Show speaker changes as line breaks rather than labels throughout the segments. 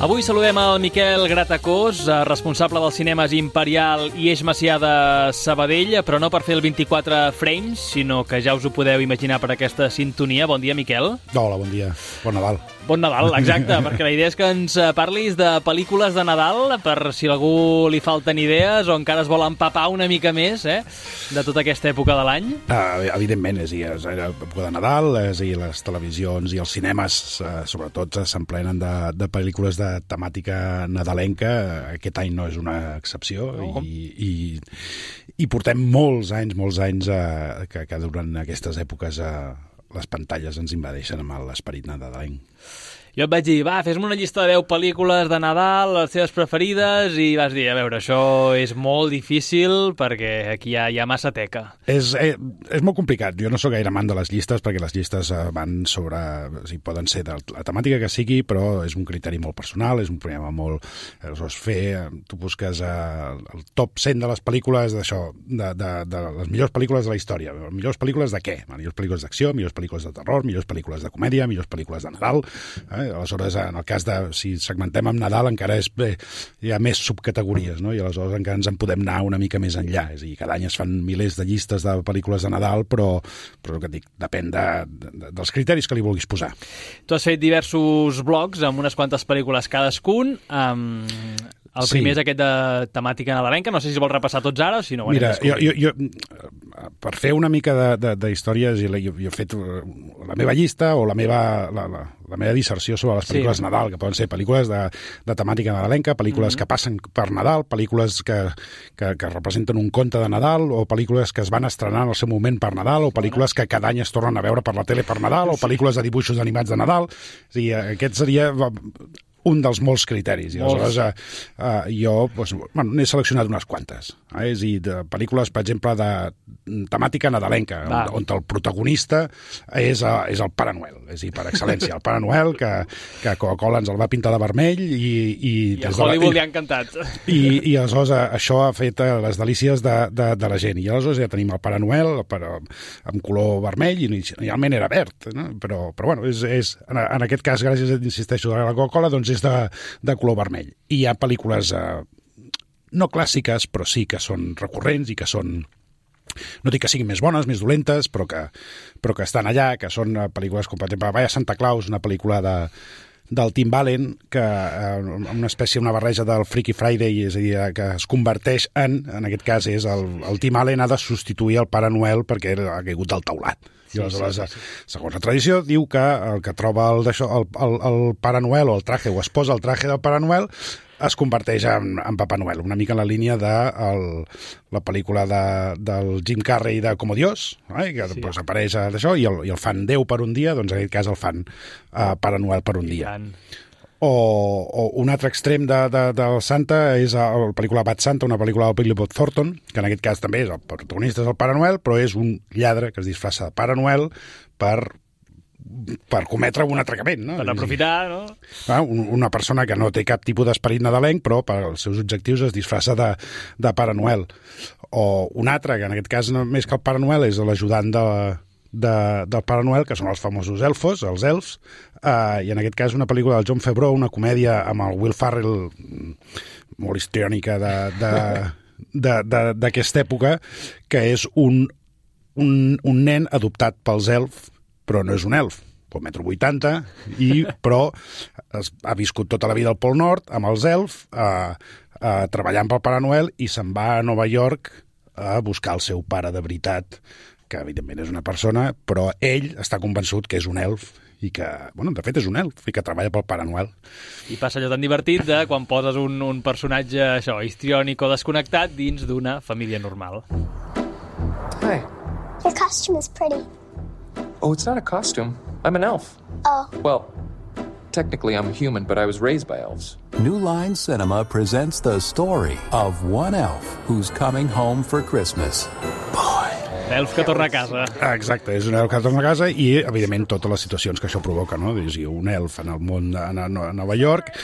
Avui saludem el Miquel Gratacós, responsable dels cinemes Imperial i Eix Macià de Sabadell, però no per fer el 24 frames, sinó que ja us ho podeu imaginar per aquesta sintonia. Bon dia, Miquel.
Hola, bon dia. Bon Nadal.
Bon Nadal, exacte, perquè la idea és que ens parlis de pel·lícules de Nadal, per si a algú li falten idees o encara es vol empapar una mica més de tota aquesta època de l'any.
Evidentment, és època de Nadal, les televisions i els cinemes, sobretot, s'emplenen de pel·lícules de temàtica nadalenca. Aquest any no és una excepció, no. I portem molts anys que durant aquestes èpoques les pantalles ens invadeixen amb l'esperit nadalenc.
Jo et vaig dir, fes-me una llista de 10 pel·lícules de Nadal, les teves preferides, i vas dir, a veure, això és molt difícil perquè aquí hi ha massa teca.
És molt complicat. Jo no sóc gaire amant de les llistes perquè les llistes van sobre... O sigui, poden ser de la temàtica que sigui, però és un criteri molt personal, és un problema molt... Tu busques el top 100 de les pel·lícules d'això, de les millors pel·lícules de la història. Millors pel·lícules de què? Millors pel·lícules d'acció, millors pel·lícules de terror, millors pel·lícules de comèdia, millors pel·lícules de Nadal... Aleshores, en el cas de... Si segmentem amb Nadal, encara hi ha més subcategories, no? I aleshores encara ens en podem anar una mica més enllà. És a dir, cada any es fan milers de llistes de pel·lícules de Nadal, però el que et dic, depèn dels criteris que li vulguis posar.
Tu has fet diversos blogs amb unes quantes pel·lícules cadascun. El primer és aquest de temàtica nadalenca. No sé si vols repassar tots ara o si no.
Mira, jo per fer una mica de històries, jo he fet la meva llista o la meva disserció sobre les pel·lícules de Nadal, que poden ser pel·lícules de temàtica nadalenca, pel·lícules que passen per Nadal, pel·lícules que representen un conte de Nadal, o pel·lícules que es van estrenar en el seu moment per Nadal, o pel·lícules que cada any es tornen a veure per la tele per Nadal, o pel·lícules de dibuixos animats de Nadal. És a dir, aquest seria un dels molts criteris. I aleshores jo n'he seleccionat unes quantes. És a dir, de pel·lícules, per exemple, de temàtica nadalenca, on el protagonista és el Pare Noel. És a dir, per excel·lència, el Pare Noel, que Coca-Cola ens el va pintar de vermell i
a Hollywood li ha encantat.
I aleshores això ha fet les delícies de la gent. I aleshores ja tenim el Pare Noel amb color vermell, i inicialment era verd, no? Però bueno, en aquest cas, gràcies, insisteixo, a la Coca-Cola, doncs és de color vermell. I hi ha pel·lícules no clàssiques, però sí que són recurrents i que són, no dic que siguin més bones, més dolentes, però que estan allà, que són pel·lícules com, per exemple, Vaya Santa Claus, una pel·lícula del Tim Allen, que una barreja del Freaky Friday, és a dir, que es converteix en aquest cas és el Tim Allen ha de substituir el Pare Noel perquè ha caigut del teulat. I aleshores, segons la tradició, diu que el que troba el Pare Noel o el traje, o es posa el traje del Pare Noel, es converteix en Papa Noel, una mica en la línia de la pel·lícula del Jim Carrey de Como Dios, que pues, apareix d'això, i el fan Déu per un dia, doncs en aquest cas el fan Pare Noel per un dia. O un altre extrem del Santa és la pel·lícula Bad Santa, una pel·lícula del Billy Bob Thornton, que en aquest cas també és el protagonista és el Pare Noel, però és un lladre que es disfressa de Pare Noel per cometre un atracament, no?
Per aprofitar, no?
Una persona que no té cap tipus d'esperit nadalenc, però per als seus objectius es disfressa de Pare Noel. O un altre, que en aquest cas més que el Pare Noel és l'ajudant del Pare Noel, que són els famosos elfos, els elfs, i en aquest cas una pel·lícula del John Favreau, una comèdia amb el Will Ferrell, molt histriònica d'aquesta època, que és un nen adoptat pels elfs, però no és un elf, pot metro 80, però ha viscut tota la vida al Pol Nord amb els elfs, treballant pel Pare Noel, i se'n va a Nova York a buscar el seu pare de veritat, que evidentment és una persona, però ell està convençut que és un elf, i que, de fet és un elf, i que treballa pel Pare Noel.
I passa allò tan divertit de quan poses un personatge, això, histriònic o desconnectat dins d'una família normal.
Hi.
Your costume is pretty.
Oh, it's not a costume. I'm an elf.
Oh.
Well, technically I'm human, but I was raised by elves.
New Line Cinema presents the story of one elf who's coming home for Christmas. Boy.
Elf que torna a casa.
Exacte, és un elf que torna a casa i, evidentment, totes les situacions que això provoca, no? És un elf en el món a Nova York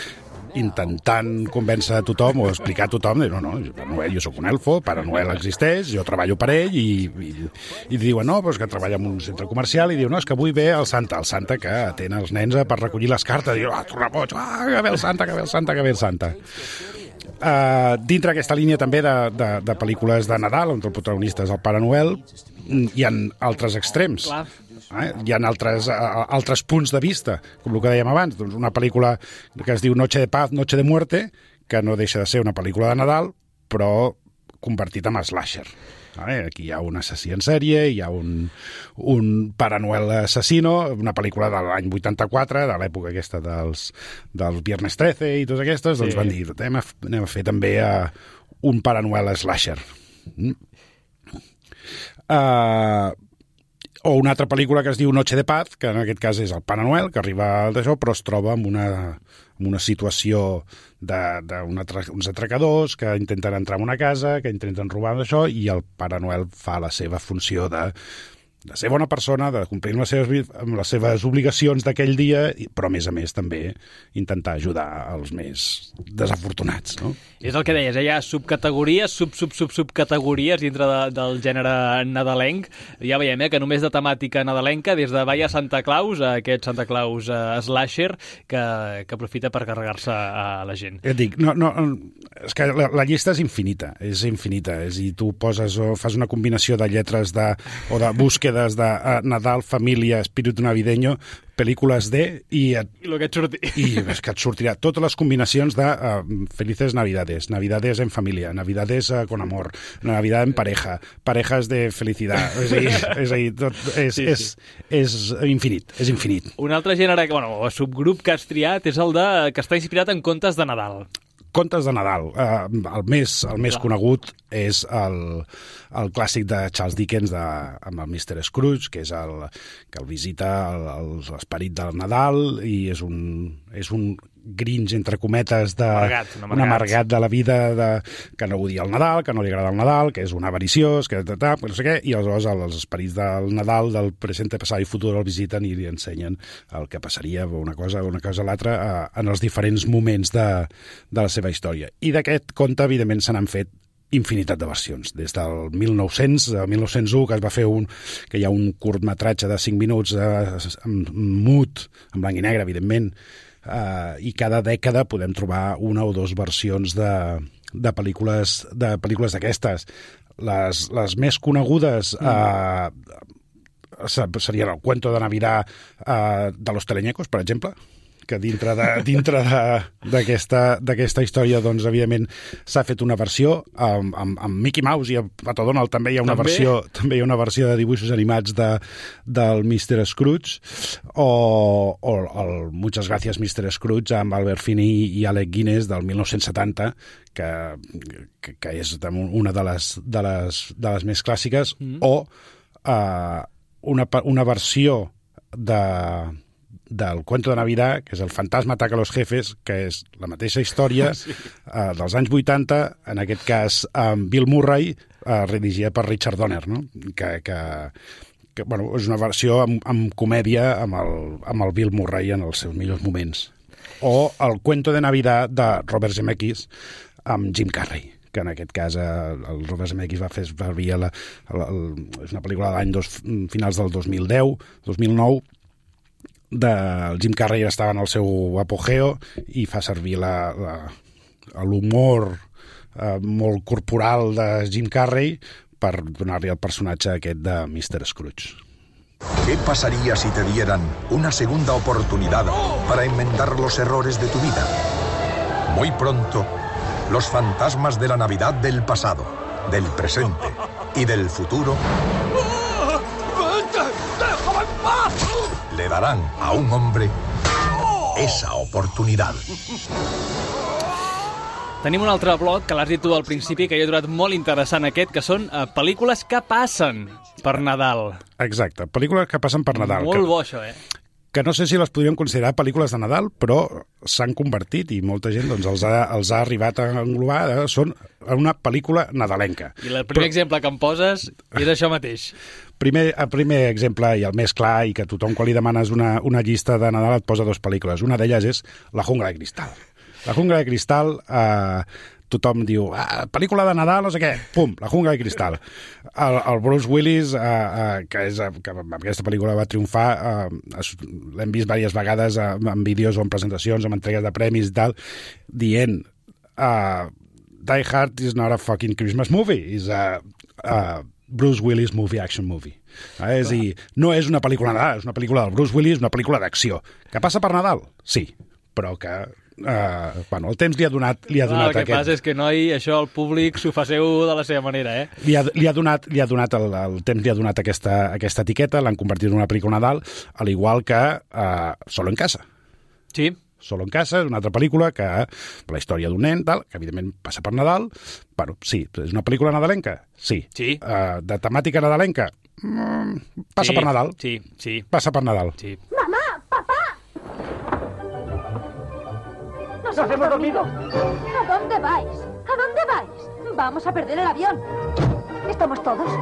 intentant convèncer a tothom o explicar a tothom, no, Pare Noel, jo sóc un elfo, Pare Noel existeix, jo treballo per ell, i diuen, no, doncs que treballa en un centre comercial, i diu, no, és que avui ve el Santa que atén els nens per recollir les cartes, i diu, tornaboig, que ve el Santa, que ve el Santa, que ve el Santa. Dintre aquesta línia també de pel·lícules de Nadal, on el protagonista és el Pare Noel, hi ha altres extrems.
Clar.
Hi ha altres punts de vista, com el que dèiem abans, doncs una pel·lícula que es diu Noche de Paz, Noche de Muerte, que no deixa de ser una pel·lícula de Nadal, però convertit en slasher. Aquí hi ha un assassí en sèrie, hi ha un Pare Noel assassino, una pel·lícula de l'any 84, de l'època aquesta dels Viernes 13 i totes aquestes, doncs van dir, anem a fer també un Pare Noel slasher. O una altra pel·lícula que es diu Noche de Paz, que en aquest cas és el Pare Noel, que arriba d'això, però es troba en una situació d'uns atracadors que intenten entrar en una casa, que intenten robar d'això, i el Pare Noel fa la seva funció de ser bona persona, de complir amb les seves obligacions d'aquell dia, però a més també intentar ajudar els més desafortunats, no?
És el que deies, hi ha subcategories, subcategories dintre del gènere nadalenc. Ja veiem que només de temàtica nadalenca, des de Vaya Santa Claus a aquest Santa Claus slasher que aprofita per carregar-se a la gent.
Et dic, és que la llista és infinita, és i tu fas una combinació de lletres o de búsquedes de Nadal, família, espíritu navideño, pel·lícules i
lo que et surti.
I és que et sortirà totes les combinacions de Felices Navidades, Navidades en familia, Navidades con amor, Navidad en pareja, parejas de felicidad. És a dir, tot és infinit, és infinit.
Un altre gènere, o subgrup que has triat és el que està inspirat en contes de Nadal.
Contes de Nadal. El més conegut és el clàssic de Charles Dickens amb el Mr. Scrooge, que és que el visita l'esperit del Nadal i és un Grinch, entre cometes, un amargat de la vida, que no odia el Nadal, que no li agrada el Nadal, que és un avariciós, que no sé què, i aleshores els esperits del Nadal, del present, passat i futur, el visiten i li ensenyen el que passaria, una cosa o l'altra, en els diferents moments de la seva història. I d'aquest conte, evidentment, se n'han fet infinitat de versions. Des del 1901, que es va fer que hi ha un curtmetratge de 5 minuts mut, en blanc i negre, evidentment, i cada dècada podem trobar una o dues versions de pel·lícules d'aquestes. Les més conegudes serien el Cuento de Navidad de los Teleñecos, per exemple, que dintre d'aquesta història, doncs, evidentment, s'ha fet una versió amb Mickey Mouse, i a Pato Donald també hi ha una versió de dibuixos animats del Mr. Scrooge, o el Muchas Gracias Mr. Scrooge amb Albert Finney i Alec Guinness del 1970, que és una de les més clàssiques, o una versió del Cuento de Navidad, que és El fantasma ataca a los jefes, que és la mateixa història dels anys 80, en aquest cas amb Bill Murray, redigida per Richard Donner, no? que és una versió amb comèdia amb el Bill Murray en els seus millors moments. O el Cuento de Navidad de Robert Zemeckis amb Jim Carrey, que en aquest cas el Robert Zemeckis va fer servir és una pel·lícula de l'any finals del 2009, del Jim Carrey estava en el seu apogeo i fa servir l'humor molt corporal de Jim Carrey per donar-li el personatge aquest de Mr. Scrooge.
¿Qué pasaría si te dieran una segunda oportunidad para enmendar los errores de tu vida? Muy pronto, los fantasmas de la Navidad del pasado, del presente y del futuro le darán a un hombre esa oportunidad.
Tenim un altre bloc que l'has dit tu al principi, que jo he trobat molt interessant aquest, que són pel·lícules que passen per Nadal.
Exacte, pel·lícules que passen per Nadal.
Molt bo, això,
que no sé si les podríem considerar pel·lícules de Nadal, però s'han convertit, i molta gent els ha arribat a englobar, són una pel·lícula nadalenca.
I el primer exemple que em poses és això mateix.
El primer exemple, i el més clar, i que tothom quan li demanes una llista de Nadal et posa dues pel·lícules. Una d'elles és La jungla de cristal. La jungla de cristal, tothom diu, pel·lícula de Nadal, no sé què, pum, La jungla de cristal. El Bruce Willis, que amb aquesta pel·lícula va triomfar, l'hem vist diverses vegades en vídeos o en presentacions, en entregues de premis i tal, dient Die Hard is not a fucking Christmas movie, is a Bruce Willis movie, action movie. És a dir, no és una pel·lícula de Nadal, és una pel·lícula del Bruce Willis, una pel·lícula d'acció. Que passa per Nadal? Sí, però que el temps li ha donat
el que passa és que, noi, això al públic s'ho faceu de la seva manera,
Li ha donat el temps li ha donat aquesta etiqueta, l'han convertit en una pel·lícula Nadal, al igual que Solo en casa.
Sí.
Solo en casa és una altra pel·lícula que la història d'un nen, tal, que evidentment passa per Nadal. Bueno, sí, és una pel·lícula nadalenca? Sí. De temàtica nadalenca? Passa per Nadal.
Sí.
Pasa por Nadal.
Sí.
¡Mamá! ¡Papá! ¡Nos hemos dormido! ¿A dónde vais? ¿A dónde vais? Vamos a perder el avión. Estamos todos, 11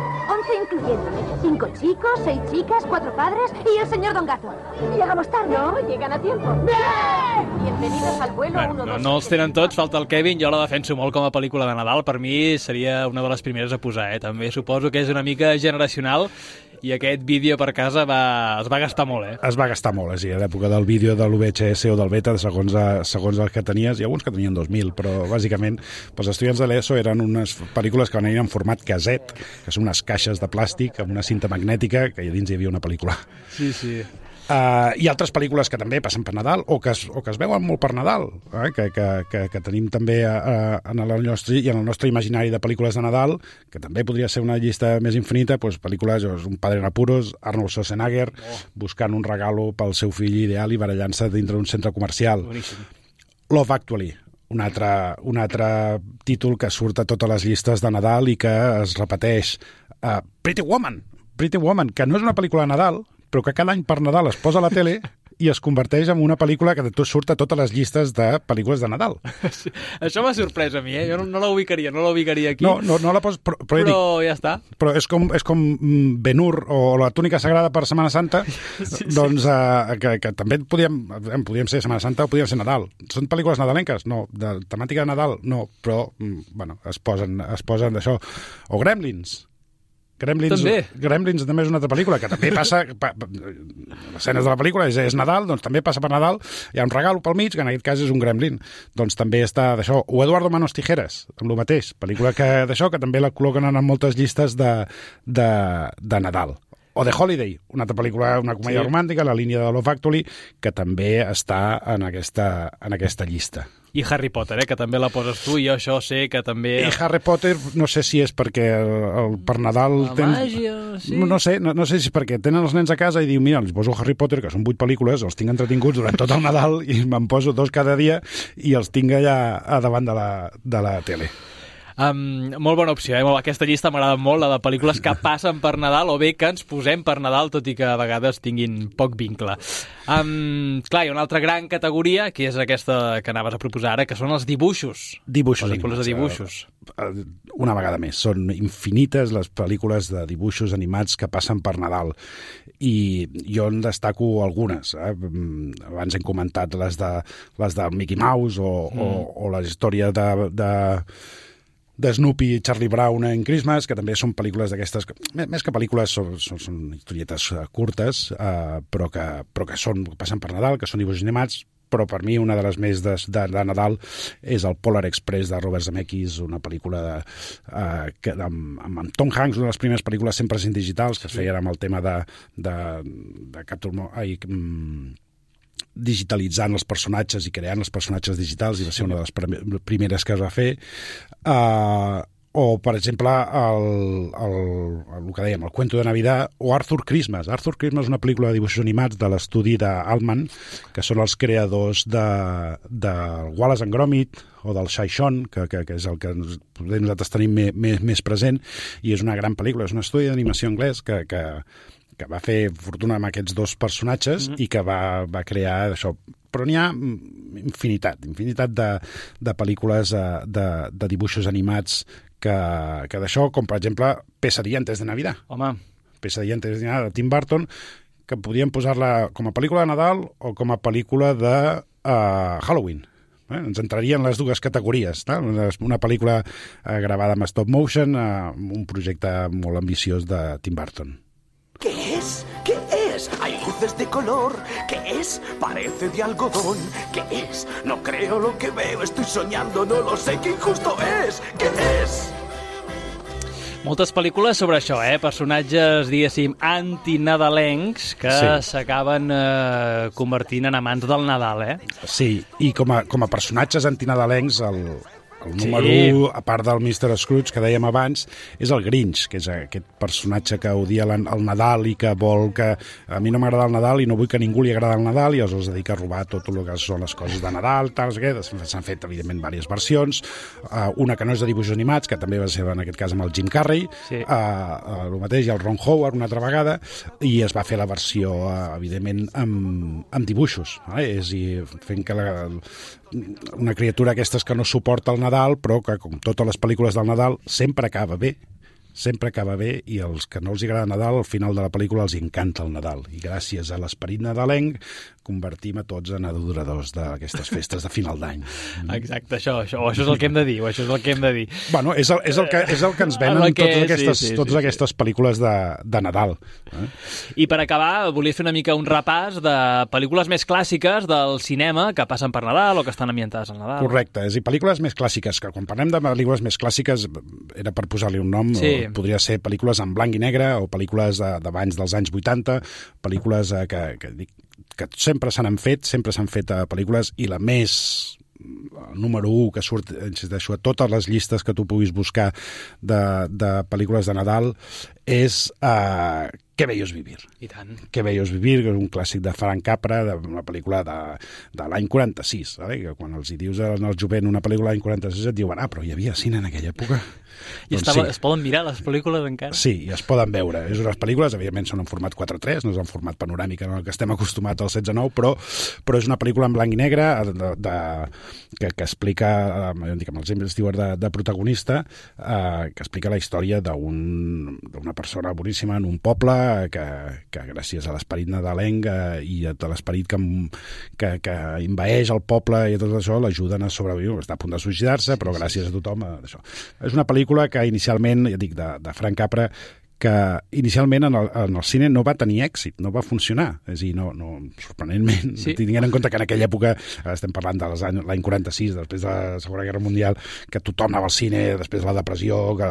incluyéndome. 5 chicos, 6 chicas, 4 padres y el señor Don Gato. Llegamos tarde. No, llegan a tiempo. ¡Bien! Bienvenidos al vuelo 1, 2...
No els tenen tots, falta el Kevin. Jo la defenso molt com a pel·lícula de Nadal. Per mi seria una de les primeres a posar, També suposo que és una mica generacional i aquest vídeo per casa es va gastar molt,
Es va gastar molt, a l'època del vídeo de l'UVHS o del beta, segons el que tenies, i alguns que tenien 2000, però bàsicament els estudiants de l'ESO eren unes pel·lícules que venien en format caset, que són unes caixes de plàstic amb una cinta magnètica, que a dins hi havia una pel·lícula.
Sí.
I altres pel·lícules que també passen per Nadal o que es veuen molt per Nadal, que tenim també en el nostre imaginari de pel·lícules de Nadal, que també podria ser una llista més infinita, pel·lícules, Un padre en apuros, Arnold Schwarzenegger, buscant un regalo pel seu fill ideal i barallant-se dintre d'un centre comercial.
Boníssim.
Love Actually, un altre títol que surt a totes les llistes de Nadal i que es repeteix. Pretty Woman, que no és una pel·lícula de Nadal, però que cada any per Nadal es posa a la tele i es converteix en una pel·lícula que surt a totes les llistes de pel·lícules de Nadal.
Sí, això m'ha sorprès a mi, Jo no la ubicaria aquí.
No la poses,
però ja està.
Però és com Ben-Hur o la túnica sagrada per Setmana Santa, doncs que també podíem ser Setmana Santa o podíem ser Nadal. Són pel·lícules nadalenques? No. De temàtica de Nadal? No. Però, es posen d'això. O Gremlins també és una altra pel·lícula que també passa, les escenes de la pel·lícula és Nadal, doncs també passa per Nadal, hi ha un regalo pel mig, que en aquest cas és un gremlin, doncs també està d'això. O Eduardo Manos Tijeras, amb el mateix, pel·lícula que també la col·loquen en moltes llistes de Nadal. O The Holiday, una altra pel·lícula, una comèdia romàntica, la línia de Love Actually, que també està en aquesta llista.
I Harry Potter, que també la poses tu, i jo això sé que també...
I Harry Potter, no sé si és perquè per Nadal...
màgia, sí.
No sé si és perquè tenen els nens a casa i diu, mira, els poso Harry Potter, que són 8 pel·lícules, els tinc entretinguts durant tot el Nadal i me'n poso 2 cada dia i els tinc allà a davant de la tele.
Molt bona opció, Aquesta llista m'agrada molt, la de pel·lícules que passen per Nadal o bé que ens posem per Nadal, tot i que a vegades tinguin poc vincle. Clar, hi ha una altra gran categoria, que és aquesta que anaves a proposar ara, que són els dibuixos. Pel·lícules de dibuixos.
Una vegada més, són infinites les pel·lícules de dibuixos animats que passen per Nadal. I jo en destaco algunes. Abans hem comentat les de Mickey Mouse o la història de Snoopy i Charlie Brown en Christmas, que també són pel·lícules d'aquestes, més que pel·lícules, són historietes curtes, però que passen per Nadal, que són dibuixos animats, però per mi una de les més de Nadal és el Polar Express de Robert Zemeckis, una pel·lícula amb Tom Hanks, una de les primeres pel·lícules 100% digitals, que es feien amb el tema digitalitzant els personatges i creant els personatges digitals, i va ser una de les primeres que es va fer. O, per exemple, el que dèiem, el Cuento de Navidad, o Arthur Christmas. Arthur Christmas és una pel·lícula de dibuixos animats de l'estudi d'Altman, que són els creadors de Wallace and Gromit o del Shy-Shon, que és el que nosaltres tenim més present, i és una gran pel·lícula, és un estudi d'animació anglès que va fer fortuna amb aquests 2 personatges i que va crear això. Però n'hi ha infinitat de pel·lícules de dibuixos animats que d'això, com per exemple Pesadilla antes de Navidad.
Home.
Pesadilla antes de Navidad de Tim Burton, que podríem posar-la com a pel·lícula de Nadal o com a pel·lícula de Halloween. Ens entrarien les dues categories. Una pel·lícula gravada amb stop motion, un projecte molt ambiciós de Tim Burton.
¿Qué es? ¿Qué es? Hay luces de color. ¿Qué es? Parece de algodón. ¿Qué es? No creo lo que veo. Estoy soñando, no lo sé. ¡Qué injusto es! ¿Qué es?
Moltes pel·lícules sobre això, personatges, diguéssim, antinadalencs que s'acaben convertint en amants del Nadal,
Sí, i com a personatges antinadalencs, el número 1, a part del Mr. Scrooge, que dèiem abans, és el Grinch, que és aquest personatge que odia el Nadal i que vol que... A mi no m'agrada el Nadal i no vull que ningú li agrada el Nadal i es dedica a robar tot el que són les coses de Nadal, s'han fet, evidentment, diverses versions. Una que no és de dibuixos animats, que també va ser, en aquest cas, amb el Jim Carrey, el mateix, i el Ron Howard, una altra vegada, i es va fer la versió, evidentment, amb dibuixos, és a dir, fent que una criatura aquestes que no suporta el Nadal, però que, com totes les pel·lícules del Nadal, sempre acaba bé, i els que no els agrada Nadal, al final de la pel·lícula els encanta el Nadal. I gràcies a l'esperit nadalenc convertim a tots en adoradors d'aquestes festes de final d'any.
Exacte, això és el que hem de dir,
Bueno, és el que ens venen totes aquestes pel·lícules de Nadal.
I per acabar, volia fer una mica un repàs de pel·lícules més clàssiques del cinema que passen per Nadal o que estan ambientades al Nadal.
Correcte, és a dir, pel·lícules més clàssiques, que quan parlem de pel·lícules més clàssiques era per posar-li un nom, podria ser pel·lícules en blanc i negre o pel·lícules d'abans dels anys 80, pel·lícules que sempre s'han fet pel·lícules, i la més número 1 que surt, insisteixo, a totes les llistes que tu puguis buscar de pel·lícules de Nadal és Qué bello es vivir.
I tant.
Qué bello es vivir, que és un clàssic de Frank Capra, una pel·lícula de l'any 46, que quan els hi dius al jovent una pel·lícula de l'any 46 et diuen, però hi havia cine en aquella època.
I es poden mirar les pel·lícules encara?
Sí, i es poden veure. És unes pel·lícules, evidentment són en format 4:3, no és en format panoràmic en el que estem acostumats al 16:9, però és una pel·lícula en blanc i negre que explica, amb el James Stewart de protagonista, que explica la història d'una persona boníssima en un poble que gràcies a l'esperit nadalenc i a l'esperit que envaeix el poble i tot això l'ajuden a sobreviure. Està a punt de suïcidar-se, però gràcies a tothom això. És una pel·lícula que inicialment, ja dic, de Frank Capra, que inicialment en el cine no va tenir èxit, no va funcionar. És a dir, sorprenentment, tinguent en compte que en aquella època, estem parlant de l'any 46, després de la Segona Guerra Mundial, que tothom anava al cine, després de la depressió, que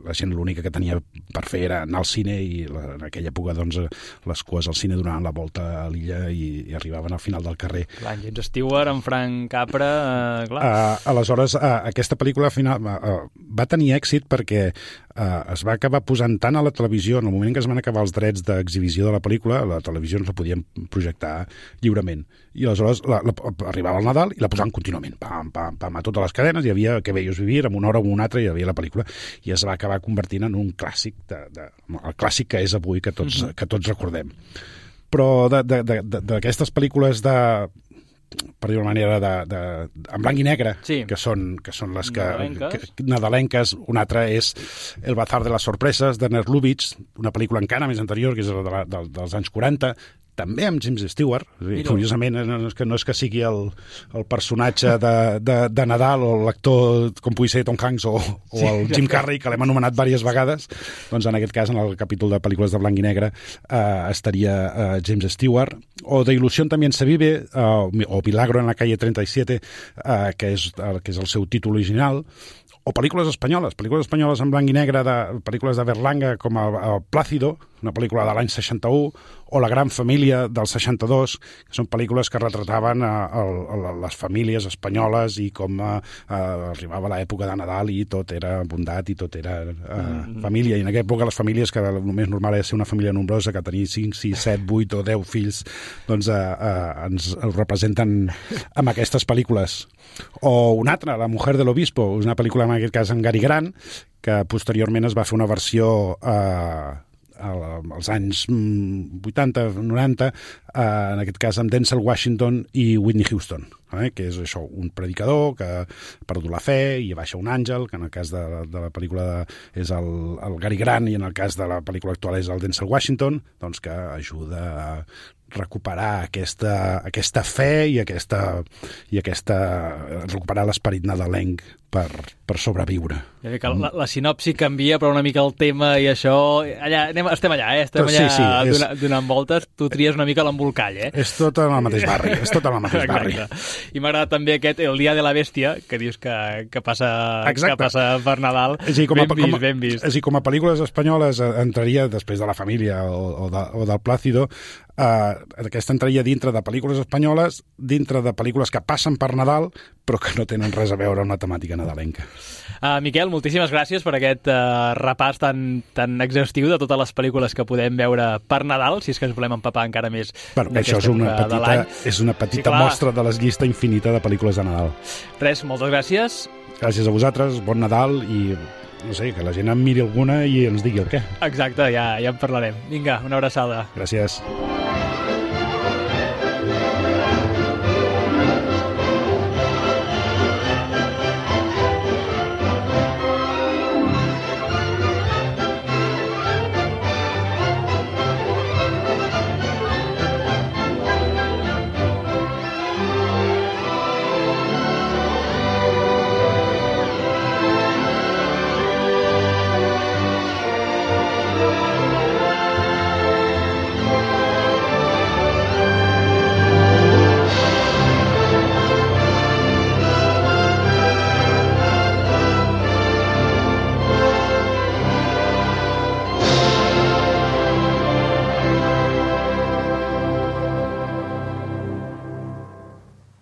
la gent l'única que tenia per fer era anar al cine, i en aquella època doncs, les cues al cine donaven la volta a l'illa i arribaven al final del carrer.
Clar, James Stewart, en Frank Capra...
Aleshores, aquesta pel·lícula final va tenir èxit perquè es va acabar posant tant a la televisió, en el moment en què es van acabar els drets d'exhibició de la pel·lícula, la televisió no la podien projectar lliurement. I aleshores arribava el Nadal i la posaven contínuament. Pam, pam, pam, a totes les cadenes hi havia Qué bello es vivir, en una hora o una altra hi havia la pel·lícula, i es va acabar convertint en un clàssic, el clàssic que és avui, que tots recordem. Però d'aquestes pel·lícules per dir-ho d'una manera, en blanc i negre, que són les nadalenques. Una altra és El bazar de les sorpreses, d'Ernest Lubitsch, una pel·lícula encara més anterior, que és dels anys 40, també amb James Stewart. Curiosament, no és que sigui el personatge de Nadal o l'actor, com pugui ser Tom Hanks o el Jim Carrey, que l'hem anomenat diverses vegades. Doncs en aquest cas, en el capítol de pel·lícules de blanc i negre, estaria James Stewart. O de Ilusión también se vive, o Milagro en la calle 37, que és el seu títol original. O pel·lícules espanyoles en blanc i negre, pel·lícules de Berlanga, com el Plácido, una pel·lícula de l'any 61, o La gran família del 62, que són pel·lícules que retrataven les famílies espanyoles i com arribava l'època de Nadal i tot era bondat i tot era família. I en aquella època les famílies, que el més normal era ser una família nombrosa, que tenia 5, 6, 7, 8 o 10 fills, doncs ens representen amb aquestes pel·lícules. O una altra, La mujer del obispo, una pel·lícula en aquest cas en Cary Grant, que posteriorment es va fer una versió als anys 80, 90, en aquest cas amb Denzel Washington i Whitney Houston, que és això, un predicador que ha perdut la fe i baixa un àngel, que en el cas de la pel·lícula és el Cary Grant i en el cas de la pel·lícula actual és el Denzel Washington, doncs que ajuda a recuperar aquesta fe i recuperar l'esperit nadalenc per sobreviure.
La sinopsi canvia, però una mica el tema i això... Estem allà, donant voltes. Tu tries una mica l'embolcall,
És tot en el mateix barri. I
m'agrada també el Dia de la Bèstia, que dius que passa per Nadal. Ben vist.
És a dir, com a pel·lícules espanyoles entraria, després de La Família o del Plácido, aquesta entraria dintre de pel·lícules espanyoles, dintre de pel·lícules que passen per Nadal, però que no tenen res a veure amb la temàtica nadalenca.
Miquel, moltíssimes gràcies per aquest repàs tan exhaustiu de totes les pel·lícules que podem veure per Nadal, si és que ens volem empapar encara més.
Això és una petita mostra de la llista infinita de pel·lícules de Nadal.
Res, moltes gràcies.
Gràcies a vosaltres, bon Nadal i no sé, que la gent en miri alguna i ens digui el què.
Exacte, ja en parlarem. Vinga, una abraçada.
Gràcies.